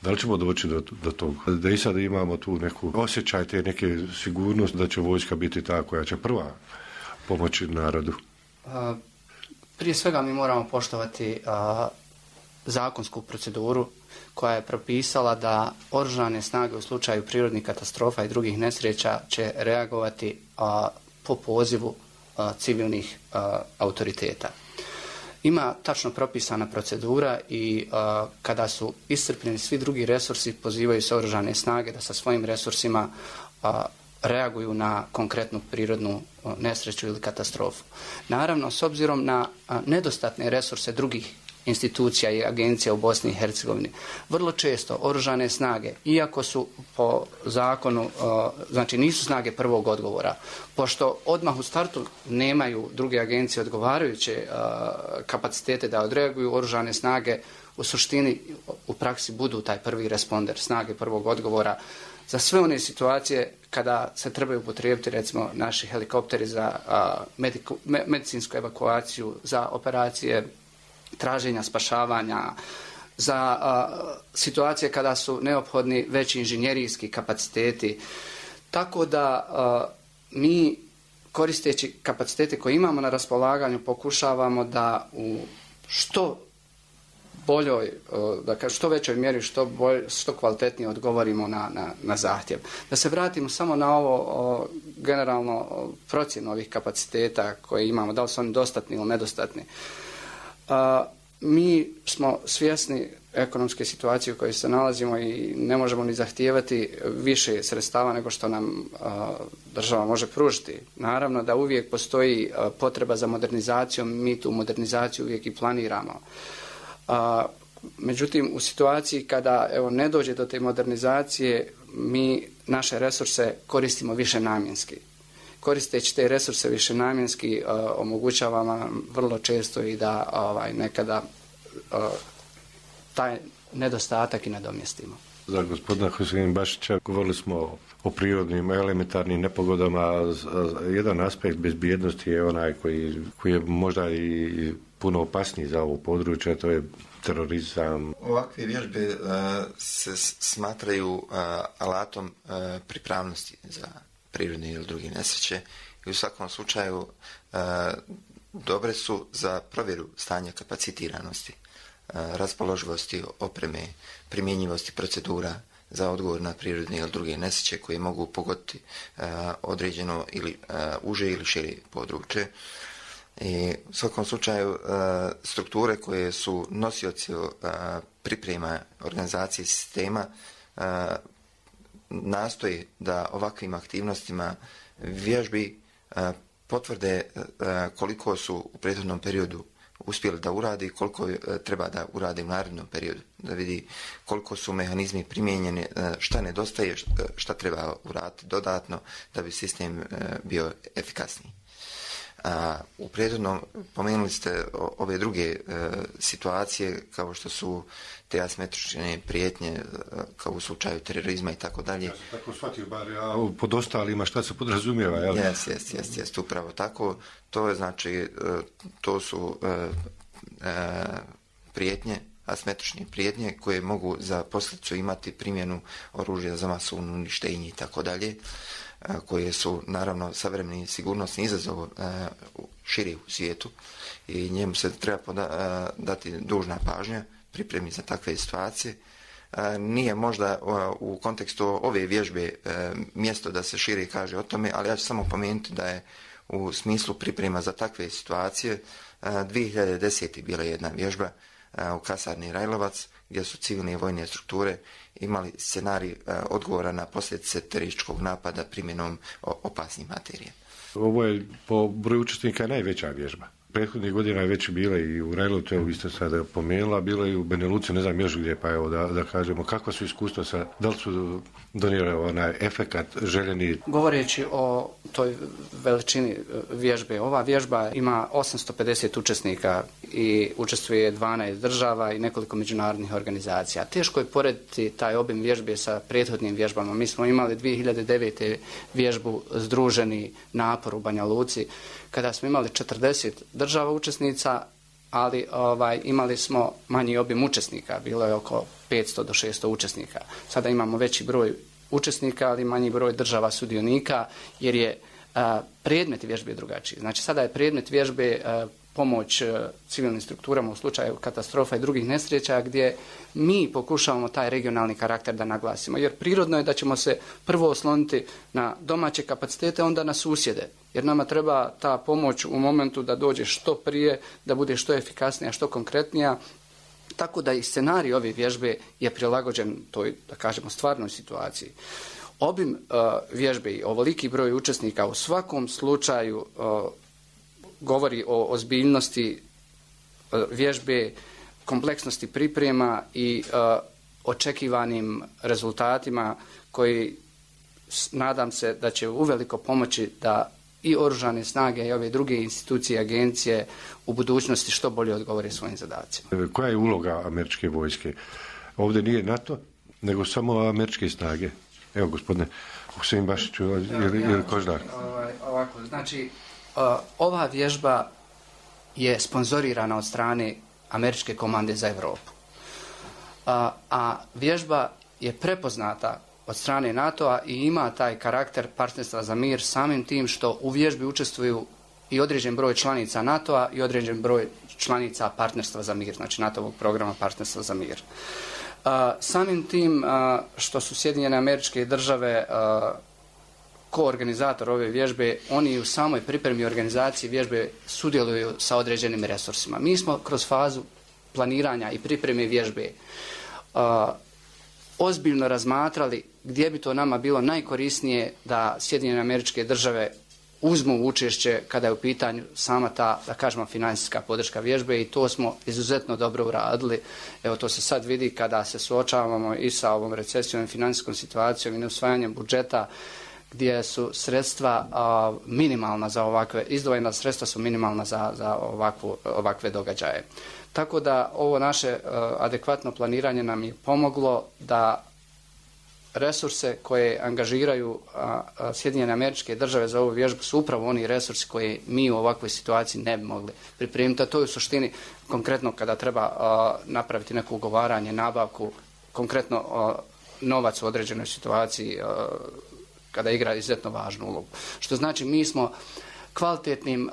da li ćemo doći do toga? Da i sada imamo tu neku osjećaj, te neke sigurnost da će vojska biti ta koja će prva pomoći narodu? Prije svega mi moramo poštovati zakonsku proceduru koja je propisala da oružane snage u slučaju prirodnih katastrofa i drugih nesreća će reagovati po pozivu civilnih autoriteta. Ima tačno propisana procedura i kada su iscrpljeni svi drugi resursi, pozivaju se oružane snage da sa svojim resursima reaguju na konkretnu prirodnu nesreću ili katastrofu. Naravno, s obzirom na nedostatne resurse drugih institucija i agencija u Bosni i Hercegovini, vrlo često oružane snage, iako su po zakonu, znači nisu snage prvog odgovora, pošto odmah u startu nemaju druge agencije odgovarajuće kapacitete da odreaguju, oružane snage u suštini u praksi budu taj prvi responder, snage prvog odgovora za sve one situacije kada se trebaju upotrijebiti recimo naši helikopteri za medicinsku evakuaciju, za operacije traženja, spašavanja, za situacije kada su neophodni veći inženjerijski kapaciteti. Tako da mi, koristeći kapacitete koje imamo na raspolaganju, pokušavamo da u što boljoj, dakle što većoj mjeri, što kvalitetnije odgovorimo na zahtjev. Da se vratimo samo na ovo generalno procjenu ovih kapaciteta koje imamo, da li su oni dostatni ili nedostatni. Mi smo svjesni ekonomske situacije u kojoj se nalazimo i ne možemo ni zahtijevati više sredstava nego što nam država može pružiti. Naravno da uvijek postoji potreba za modernizacijom, mi tu modernizaciju uvijek i planiramo. Međutim, u situaciji kada ne dođe do te modernizacije, mi naše resurse koristimo više namjenski. Koristeći te resurse višenamjenski omogućava vam vrlo često i da nekada taj nedostatak i nadomjestimo. Za gospodina Husein Bašića govorili smo o prirodnim elementarnim nepogodama. Jedan aspekt bezbjednosti je onaj koji je možda i puno opasniji za ovo područje, to je terorizam. Ovakve vježbe se smatraju alatom pripravnosti za prirodne ili druge nesreće i u svakom slučaju dobre su za provjeru stanja kapacitiranosti, raspoloživosti opreme, primjenjivosti procedura za odgovor na prirodne ili druge nesreće koje mogu pogoditi određeno ili uže ili šire područje. I u svakom slučaju strukture koje su nosioci priprema organizacije sistema nastoji da ovakvim aktivnostima vježbi potvrde koliko su u prethodnom periodu uspjeli da uradi i koliko treba da uradi u narednom periodu. Da vidi koliko su mehanizmi primijenjeni, šta nedostaje, šta treba uraditi dodatno da bi sistem bio efikasniji. U prethodnom pomenuli ste ove druge situacije kao što su te asimetrične prijetnje kao u slučaju terorizma i tako dalje. Ja sam tako shvatio, bar pod ostalima šta se podrazumijeva, jel? Jest, upravo tako. To je znači, to su prijetnje, asimetrične prijetnje koje mogu za posljedicu imati primjenu oružja za masovno uništenje i tako dalje, koje su naravno savremeni sigurnosni izazov širi u svijetu i njemu se treba dati dužna pažnja pripremi za takve situacije. Nije možda u kontekstu ove vježbe mjesto da se šire kaže o tome, ali ja ću samo pomenuti da je u smislu priprema za takve situacije 2010. bila jedna vježba u kasarni Rajlovac gdje su civilne i vojne strukture imali scenarij odgovora na posljedice terorističkog napada primjenom opasnih materija. Ovo je po broju učesnika najveća vježba. Prethodnih godina je već bila i u Rajlovcu, evo vi ste sada pomenula, bilo je i u Benelucu, ne znam još gdje, pa evo da kažemo kakva su iskustva sa, da li su donijeli onaj efekat željeni? Govoreći o toj veličini vježbe, ova vježba ima 850 učesnika i učestvuje 12 država i nekoliko međunarodnih organizacija. Teško je porediti taj obim vježbe sa prethodnim vježbama. Mi smo imali 2009. vježbu Združeni napor u Banja Luci, kada smo imali 40 država učesnica, ali imali smo manji obim učesnika, bilo je oko 500 do 600 učesnika. Sada imamo veći broj učesnika, ali manji broj država sudionika, jer je predmet vježbe drugačiji. Znači sada je predmet vježbe pomoć civilnim strukturama u slučaju katastrofa i drugih nesreća, gdje mi pokušavamo taj regionalni karakter da naglasimo. Jer prirodno je da ćemo se prvo osloniti na domaće kapacitete, onda na susjede. Jer nama treba ta pomoć u momentu da dođe što prije, da bude što efikasnija, što konkretnija. Tako da i scenarij ove vježbe je prilagođen toj, da kažemo, stvarnoj situaciji. Obim vježbe i ovoliki broj učesnika u svakom slučaju govori o ozbiljnosti vježbe, kompleksnosti priprema i očekivanim rezultatima koji nadam se da će uveliko pomoći da i oružane snage i ove druge institucije i agencije u budućnosti što bolje odgovore svojim zadacima. Koja je uloga američke vojske? Ovdje nije NATO, nego samo američke snage. Evo, gospodine Husein Bašiću ili Kožnar. Ovako, znači, ova vježba je sponzorirana od strane Američke komande za Europu. A vježba je prepoznata od strane NATO-a i ima taj karakter partnerstva za mir samim tim što u vježbi učestvuju i određen broj članica NATO-a i određen broj članica partnerstva za mir, znači NATO-ovog programa partnerstva za mir. Samim tim što su Sjedinjene Američke Države koorganizator ove vježbe, oni u samoj pripremi organizacije vježbe sudjeluju sa određenim resursima. Mi smo kroz fazu planiranja i pripreme vježbe ozbiljno razmatrali gdje bi to nama bilo najkorisnije da Sjedinjene Američke Države uzmu učešće kada je u pitanju sama ta, da kažemo, financijska podrška vježbe i to smo izuzetno dobro uradili. Evo, to se sad vidi kada se suočavamo i sa ovom recesijom i financijskom situacijom i neusvajanjem budžeta gdje su sredstva minimalna za ovakve, izdvojena sredstva su minimalna za ovakve događaje. Tako da ovo naše adekvatno planiranje nam je pomoglo da resurse koje angažiraju Sjedinjene Američke Države za ovu vježbu su upravo oni resursi koje mi u ovakvoj situaciji ne bi mogli pripremiti. A to je u suštini konkretno kada treba napraviti neko ugovaranje, nabavku, konkretno novac u određenoj situaciji kada igra izuzetno važnu ulogu. Što znači mi smo kvalitetnim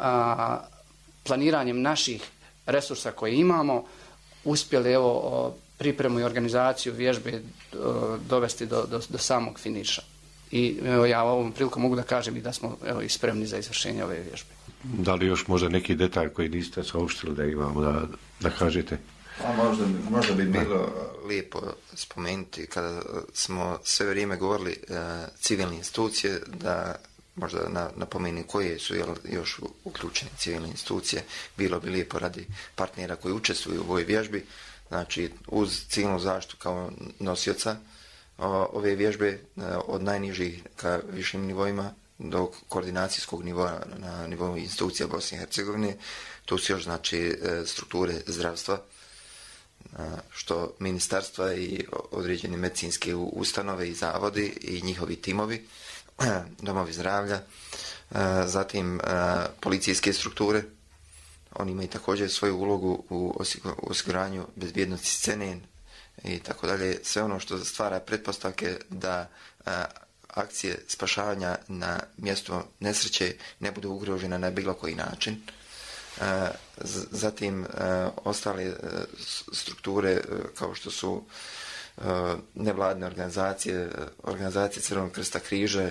planiranjem naših resursa koje imamo uspjeli pripremu i organizaciju vježbe dovesti do samog finiša. I ja ovom prilikom mogu da kažem i da smo i spremni za izvršenje ove vježbe. Da li još možda neki detalj koji niste saopštili da imamo da kažete? Možda bi bilo lijepo spomenuti kada smo sve vrijeme govorili civilne institucije da možda napomeni koje su još uključene civilne institucije. Bilo bi lijepo radi partnera koji učestvuju u ovoj vježbi. Znači, uz civilnu zaštitu kao nosioca ove vježbe od najnižih ka višim nivoima do koordinacijskog nivoa na nivou institucija Bosne i Hercegovine. Tu su još, znači, strukture zdravstva, što ministarstva i određene medicinske ustanove i zavodi i njihovi timovi, domovi zdravlja, zatim policijske strukture. Oni imaju također svoju ulogu u osiguranju bezbjednosti scene i tako dalje. Sve ono što stvara pretpostavke da akcije spašavanja na mjestu nesreće ne budu ugrožene na bilo koji način. Zatim ostale strukture kao što su nevladine organizacije, organizacije Crvenog krsta križa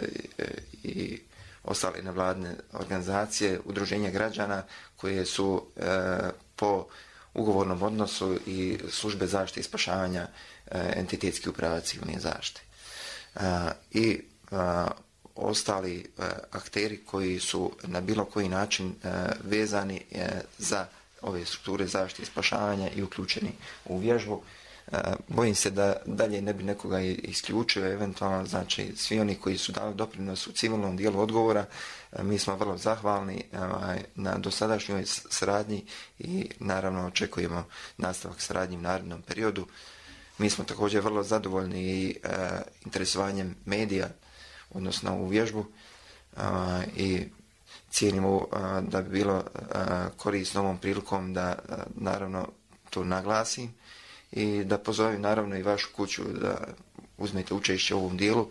i ostale nevladine organizacije, udruženja građana koje su po ugovornom odnosu i službe zaštite i spašavanja entitetski uprava civilne zaštite. I ostali akteri koji su na bilo koji način vezani za ove strukture zaštite i spašavanja i uključeni u vježbu. Bojim se da dalje ne bi nekoga isključio, eventualno, znači svi oni koji su dali doprinos u civilnom dijelu odgovora, mi smo vrlo zahvalni na dosadašnjoj saradnji i naravno očekujemo nastavak saradnje u narednom periodu. Mi smo također vrlo zadovoljni i interesovanjem medija, odnosno u vježbu, i cijenimo da bi bilo korisno ovom prilikom da naravno to naglasim i da pozovem naravno i vašu kuću da uzmete učešće u ovom dijelu.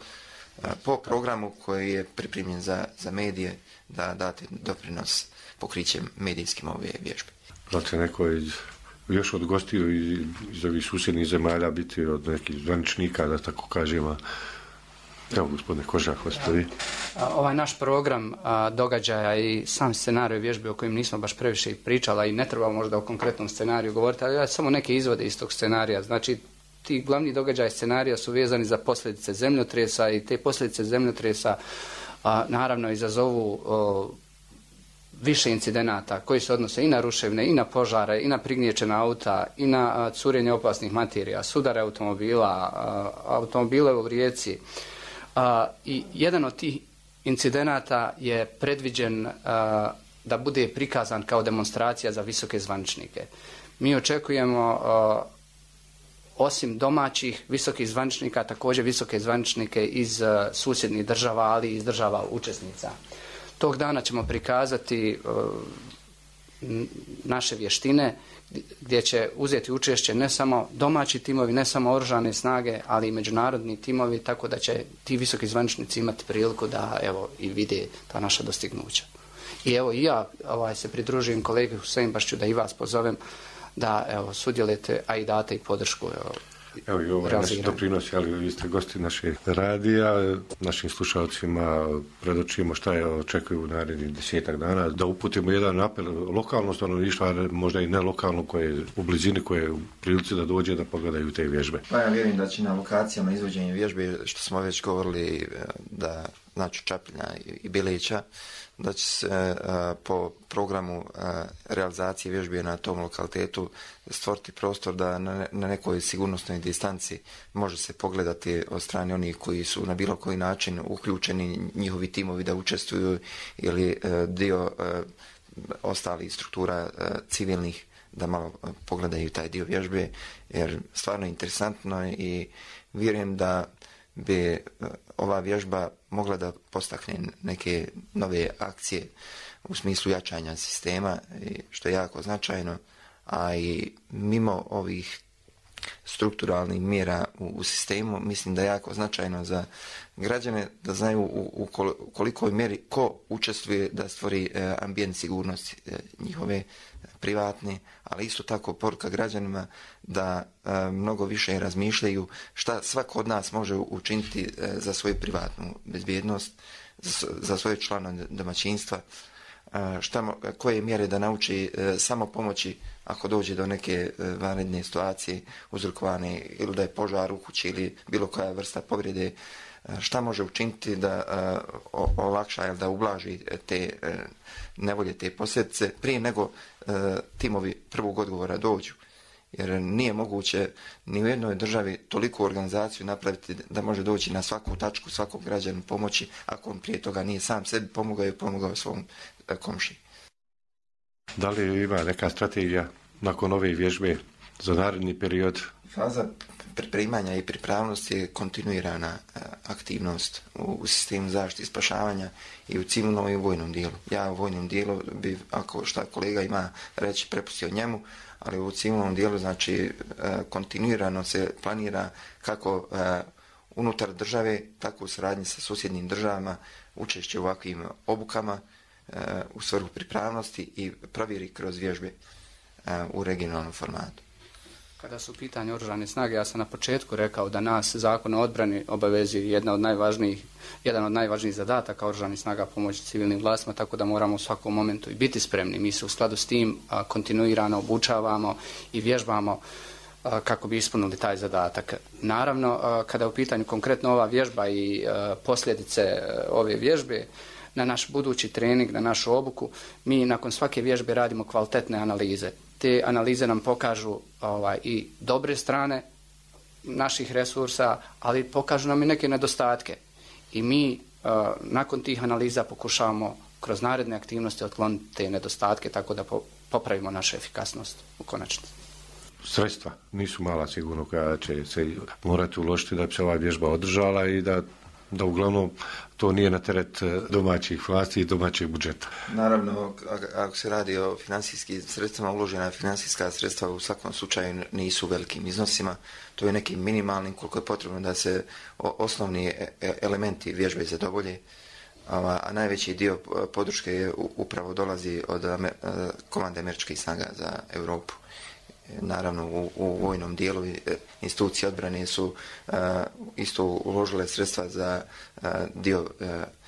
po programu koji je pripremljen za medije da date doprinos pokrićem medijskim ove vježbe. Znači neko još od gostiju iz ovih susjednih zemalja biti od nekih zvaničnika, da tako kažemo. Evo, gospodine Kožak, ostavi. Ovaj naš program događaja i sam scenarij vježbe o kojem nismo baš previše pričala i ne treba možda o konkretnom scenariju govoriti, ali ja samo neke izvode iz tog scenarija. Znači, ti glavni događaj scenarija su vezani za posljedice zemljotresa i te posljedice zemljotresa naravno izazovu više incidenata koji se odnose i na ruševine, i na požare, i na prignječena auta, i na curenje opasnih materija, sudare automobila, automobile u rijeci. I jedan od tih incidenata je predviđen da bude prikazan kao demonstracija za visoke zvaničnike. Mi očekujemo osim domaćih visokih zvaničnika, također visoke zvaničnike iz susjednih država, ali i iz država učesnica. Tog dana ćemo prikazati naše vještine gdje će uzeti učešće ne samo domaći timovi, ne samo oružane snage, ali i međunarodni timovi, tako da će ti visoki zvaničnici imati priliku da evo i vide ta naša dostignuća. I evo i ja se pridružujem kolegi Husein, baš ću da i vas pozovem da evo sudjelujete, a i date i podršku. Evo i ovaj naš doprinos, ali vi ste gosti našeg radija, našim slušalcima predočimo šta je očekuju u narednih 10 dana, da uputimo jedan apel lokalno stanovništvo, možda i ne lokalno, koje je u blizini, koje je u prilici da dođe da pogledaju te vježbe. Pa ja vjerujem da će na lokacijama izvođenja vježbe, što smo već govorili, da znači Čapljina i Bilića, da će se po programu realizacije vježbe na tom lokalitetu stvoriti prostor da na nekoj sigurnosnoj distanci može se pogledati od strane onih koji su na bilo koji način uključeni, njihovi timovi da učestvuju ili dio ostalih struktura civilnih da malo pogledaju taj dio vježbe, jer stvarno je interesantno i vjerujem da bi ova vježba mogla da postakne neke nove akcije u smislu jačanja sistema, što je jako značajno, a i mimo ovih strukturalnih mjera u sistemu, mislim da je jako značajno za građane da znaju u kolikoj mjeri ko učestvuje da stvori ambijent sigurnosti njihove privatne, ali isto tako poruka građanima da mnogo više razmišljaju šta svako od nas može učiniti za svoju privatnu bezbjednost, za svoje članove domaćinstva, koje mjere da nauči samo pomoći ako dođe do neke vanredne situacije uzrokovane ili da je požar u kući ili bilo koja vrsta povrede, šta može učiniti da olakša ili da ublaži te nevolje, te posljedice prije nego timovi prvog odgovora dođu. Jer nije moguće ni u jednoj državi toliku organizaciju napraviti da može doći na svaku tačku, svakog građanu pomoći, ako on prije toga nije sam sebi pomogao i pomogao svom komšiji. Da li ima neka strategija nakon ove vježbe za naredni period? Faza pripremanja i pripravnosti je kontinuirana aktivnost u sistemu zaštite i spašavanja i u civilnom i u vojnom dijelu. Ja u vojnom dijelu bi, ako šta kolega ima reći, prepustio njemu, ali u civilnom dijelu znači kontinuirano se planira kako unutar države, tako u saradnji sa susjednim državama, učešće u ovakvim obukama u svrhu pripravnosti i provjeri kroz vježbe u regionalnom formatu. Kada su u pitanju oružane snage, ja sam na početku rekao da nas Zakon o odbrani obavezuje jedan od najvažnijih zadataka oružanih snaga pomoći civilnim vlastima, tako da moramo u svakom momentu i biti spremni. Mi se u skladu s tim kontinuirano obučavamo i vježbamo kako bi ispunili taj zadatak. Naravno, kada je u pitanju konkretno ova vježba i posljedice ove vježbe, na naš budući trening, na našu obuku, mi nakon svake vježbe radimo kvalitetne analize. Te analize nam pokažu i dobre strane naših resursa, ali pokažu nam i neke nedostatke. I mi nakon tih analiza pokušavamo kroz naredne aktivnosti otkloniti te nedostatke tako da popravimo našu efikasnost u konačnici. Sredstva nisu mala sigurno koja će se morati uložiti da bi se ova vježba održala i da da uglavnom to nije na teret domaćih vlasti i domaćeg budžeta. Naravno, ako se radi o financijskim sredstvima, uložena financijska sredstva u svakom slučaju nisu velikim iznosima. To je nekim minimalnim koliko je potrebno da se osnovni elementi vježbe zadovolje. A najveći dio podrške upravo dolazi od komande američkih snaga za Europu. Naravno, u vojnom dijelu institucije odbrane su isto uložile sredstva za dio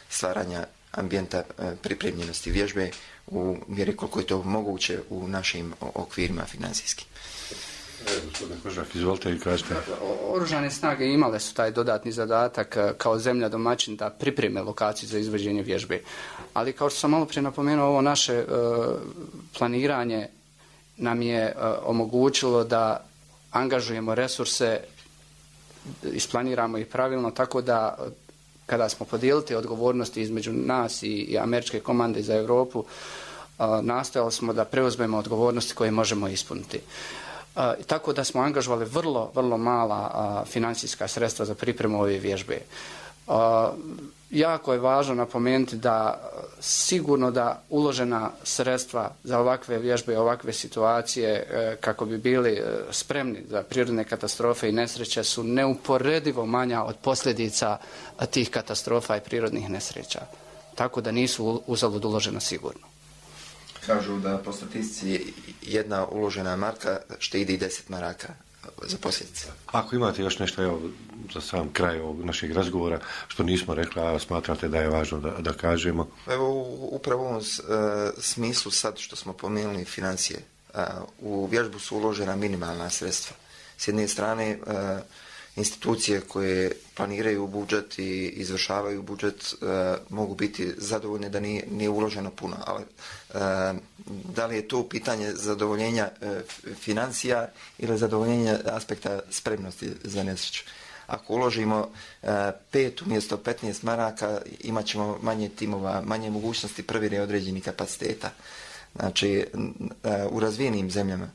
stvaranja ambijenta pripremljenosti vježbe u mjeri koliko je to moguće u našim okvirima financijskim. Gospodine Kožak, izvolite i kažete. Oružane snage imale su taj dodatni zadatak kao zemlja domaćin da pripreme lokaciju za izvođenje vježbe. Ali kao što sam malo prije napomenuo, ovo naše planiranje nam je omogućilo da angažujemo resurse, isplaniramo ih pravilno, tako da kada smo podijelili odgovornosti između nas i američke komande za Europu, nastojali smo da preuzmemo odgovornosti koje možemo ispuniti. Tako da smo angažovali vrlo mala financijska sredstva za pripremu ove vježbe. Jako je važno napomenuti da sigurno da uložena sredstva za ovakve vježbe, ovakve situacije kako bi bili spremni za prirodne katastrofe i nesreće su neuporedivo manja od posljedica tih katastrofa i prirodnih nesreća. Tako da nisu uzalud uložena sigurno. Kažu da po statistici jedna uložena marka štedi 10 maraka za posljedice. Ako imate još nešto, evo, za sam kraj ovog našeg razgovora, što nismo rekli, a smatrate da je važno da kažemo? Evo, upravo u ovom smislu sad što smo pomenuli financije, u vježbu su uložena minimalna sredstva. S jedne strane, institucije koje planiraju budžet i izvršavaju budžet mogu biti zadovoljne da nije uloženo puno, ali da li je to pitanje zadovoljenja financija ili zadovoljenja aspekta spremnosti za nesreću? Ako uložimo 5 umjesto 15 maraka, imat ćemo manje timova, manje mogućnosti provjere određenih kapaciteta. Znači, u razvijenim zemljama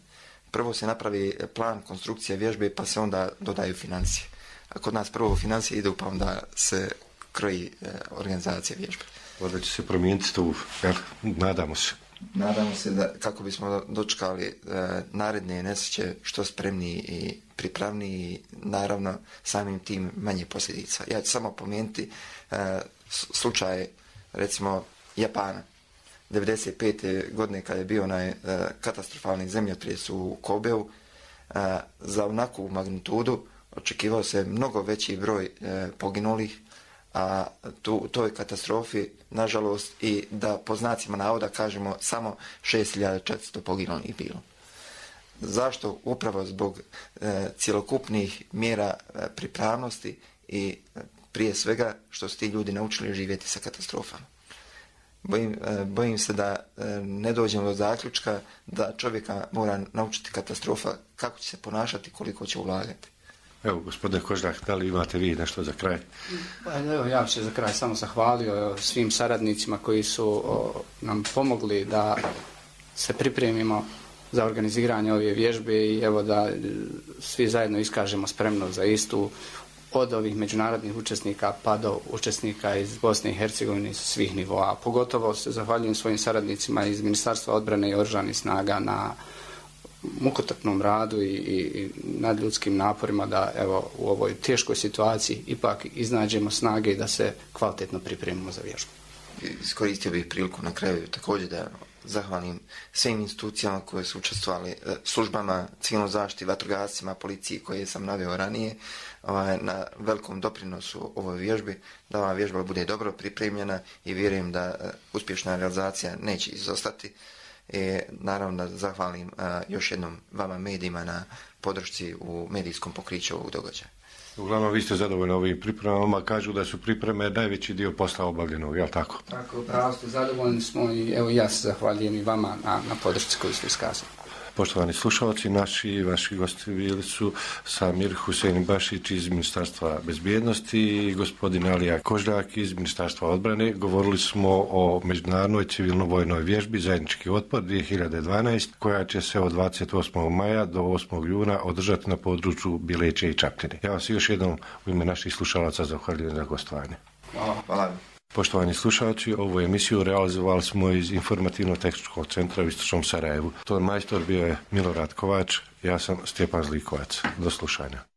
prvo se napravi plan konstrukcije vježbe, pa se onda dodaju financije. A kod nas prvo financije idu, pa onda se kroji organizacija vježbe. Onda će se promijeniti to, nadamo se. Nadamo se da kako bismo dočekali naredne nesreće što spremniji i pripravniji, naravno samim tim manje posljedica. Ja ću samo pomenuti slučaj recimo Japana. 1995. godine kada je bio onaj katastrofalni zemljotres u Kobeu, za onakvu magnitudu očekivao se mnogo veći broj poginulih, a toj katastrofi, nažalost, i da po znacima navoda kažemo samo 6400 poginulih bilo. Zašto? Upravo zbog cjelokupnih mjera pripravnosti i prije svega što su ti ljudi naučili živjeti sa katastrofama. Bojim se da ne dođemo do zaključka da čovjeka mora naučiti katastrofa kako će se ponašati, koliko će ulagati. Evo, gospodine Kožak, da li imate vi nešto za kraj? Evo, ja bih se za kraj samo zahvalio svim saradnicima koji su nam pomogli da se pripremimo za organiziranje ove vježbe i evo da svi zajedno iskažemo spremnost za istu, od ovih međunarodnih učesnika pa do učesnika iz Bosne i Hercegovine iz svih nivoa. Pogotovo se zahvaljujem svojim saradnicima iz Ministarstva odbrane i oružanih snaga na mukotrpnom radu i nadljudskim naporima da evo u ovoj teškoj situaciji ipak iznađemo snage i da se kvalitetno pripremimo za vježbu. Iskoristio bih priliku na kraju također da zahvalim svim institucijama koje su učestvovali, službama, civilnoj zaštiti, vatrogascima, policiji koje sam naveo ranije, na velikom doprinosu ovoj vježbi, da ova vježba bude dobro pripremljena i vjerujem da uspješna realizacija neće izostati. Naravno da zahvalim još jednom vama medijima na podršci u medijskom pokriću ovog događaja. Uglavnom, vi ste zadovoljni ovim pripremama, kažu da su pripreme najveći dio posla obavljenog, je li tako? Tako, pravo ste, zadovoljni smo i evo ja se zahvaljujem i vama na podršci koju ste iskazali. Poštovani slušalci, vaši gosti bili su Samir Husein Bašić iz Ministarstva bezbjednosti i gospodin Alija Koždjak iz Ministarstva odbrane. Govorili smo o međunarodnoj civilno-vojnoj vježbi Zajednički otpor 2012 koja će se od 28. maja do 8. juna održati na području Bileće i Čapljine. Ja vas još jednom u ime naših slušalaca zahvaljujem za gostovanje. Hvala. Poštovani slušalci, ovu emisiju realizovali smo iz Informativno-tehničkog centra u Istočnom Sarajevu. To majstor bio je Milorad Kovač, ja sam Stjepan Zlikovac. Do slušanja.